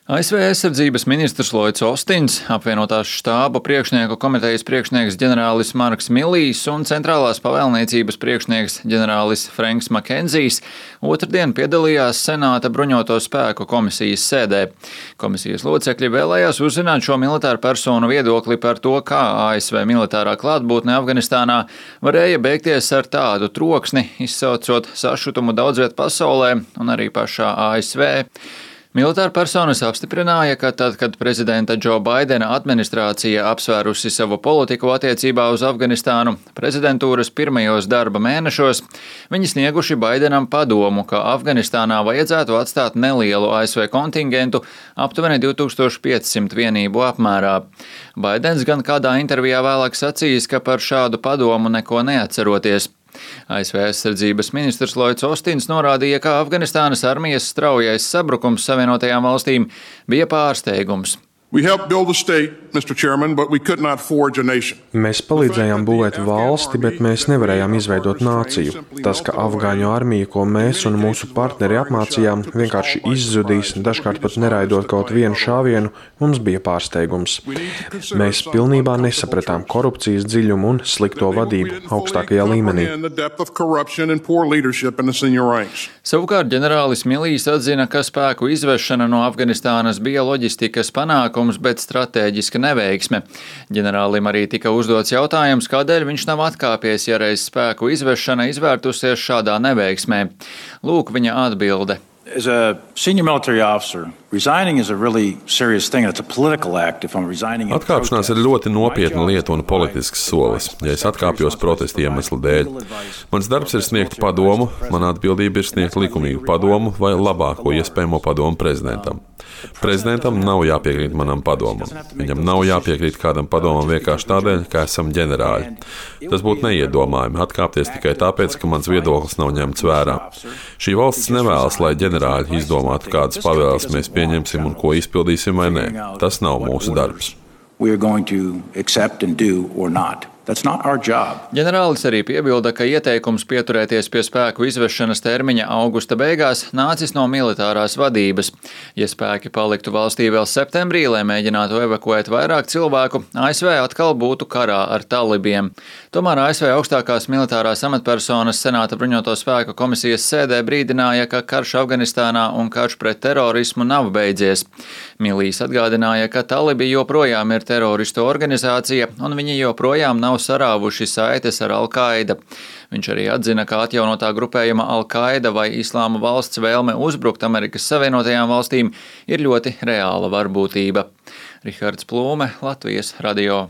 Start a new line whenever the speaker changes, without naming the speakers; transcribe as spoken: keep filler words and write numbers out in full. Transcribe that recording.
A S V aizsardzības ministrs Lloyds Ostins, apvienotās štāba priekšnieku komitejas priekšnieks ģenerālis Marks Millijs un centrālās pavēlniecības priekšnieks ģenerālis Franks Makenzijs otrdien piedalījās Senāta bruņoto spēku komisijas sēdē. Komisijas locekļi vēlējās uzzināt šo militāru personu viedokli par to, kā A S V militārā klātbūtne Afganistānā varēja beigties ar tādu troksni, izsaucot sašutumu daudzviet pasaulē un arī pašā A S V. Militāra personas apstiprināja, ka tad, kad prezidenta Džo Baidena administrācija apsvērusi savu politiku attiecībā uz Afganistānu prezidentūras pirmajos darba mēnešos, viņi snieguši Baidenam padomu, ka Afganistānā vajadzētu atstāt nelielu A S V kontingentu aptuveni divi tūkstoši piecsimt vienību apmērā. Baidens gan kādā intervijā vēlāk sacījis, ka par šādu padomu neko neatceroties. A S V aizsardzības ministrs Lloyds Ostins norādīja, ka Afganistānas armijas straujais sabrukums Savienotajām valstīm bija pārsteigums.
Mēs palīdzējām būvēt valsti, bet mēs nevarējām izveidot nāciju. Tas, ka afgāņu armija, ko mēs un mūsu partneri apmācījām, vienkārši izzudīs, dažkārt pat neraidot kaut vienu šāvienu, mums bija pārsteigums. Mēs pilnībā nesapratām korupcijas dziļumu un slikto vadību augstākajā līmenī.
Savukārt ģenerālis Millijs atzina, ka spēku izvešana no Afganistānas bija loģistikas panākums, bet stratēģiska neveiksme. Ģenerālim arī tika uzdots jautājums, kādēļ viņš nav atkāpies, ja reiz spēku izvešana izvērtusies šādā neveiksmē. Lūk viņa atbilde.
As a senior military officer, resigning is a really serious thing. It's a political act if I'm resigning.
Atkāpšanās ir ļoti nopietna lieta un politisks solis, ja es atkāpjos protesta iemeslu dēļ. Mans darbs ir sniegt padomu, mana atbildība ir sniegt likumīgu padomu vai labāko iespējamo padomu prezidentam. Prezidentam nav jāpiekrīt manam padomam. Viņam nav jāpiekrīt kādam padomam vienkārši tādēļ, ka esam ģenerāļi. Tas būtu neiedomājami atkāpties tikai tāpēc, ka mans viedoklis nav ņemts vērā. Šī valsts nevēlas, lai ģenerāļi izdomātu, kādas pavēles mēs pieņemsim un ko izpildīsim vai nē. Tas nav mūsu darbs.
Ģenerālis arī piebilda, ka ieteikums pieturēties pie spēku izvešanas termiņa augusta beigās nācis no militārās vadības. Ja spēki paliktu valstī vēl septembrī, lai mēģinātu evakuēt vairāk cilvēku, A S V atkal būtu karā ar talibiem. Tomēr A S V augstākās militārās amatpersonas Senāta bruņoto spēku komisijas sēdē brīdināja, ka karš Afganistānā un karš pret terorismu nav beidzies. Millijs atgādināja, ka talibi joprojām ir teroristu organizācija un viņi joprojām nav sarāvuši saites ar Al-Qaida. Viņš arī atzina, ka atjaunotā grupējuma Al-Qaida vai Islāma valsts vēlme uzbrukt Amerikas Savienotajām valstīm ir ļoti reāla varbūtība. Rihards Plūme, Latvijas radio.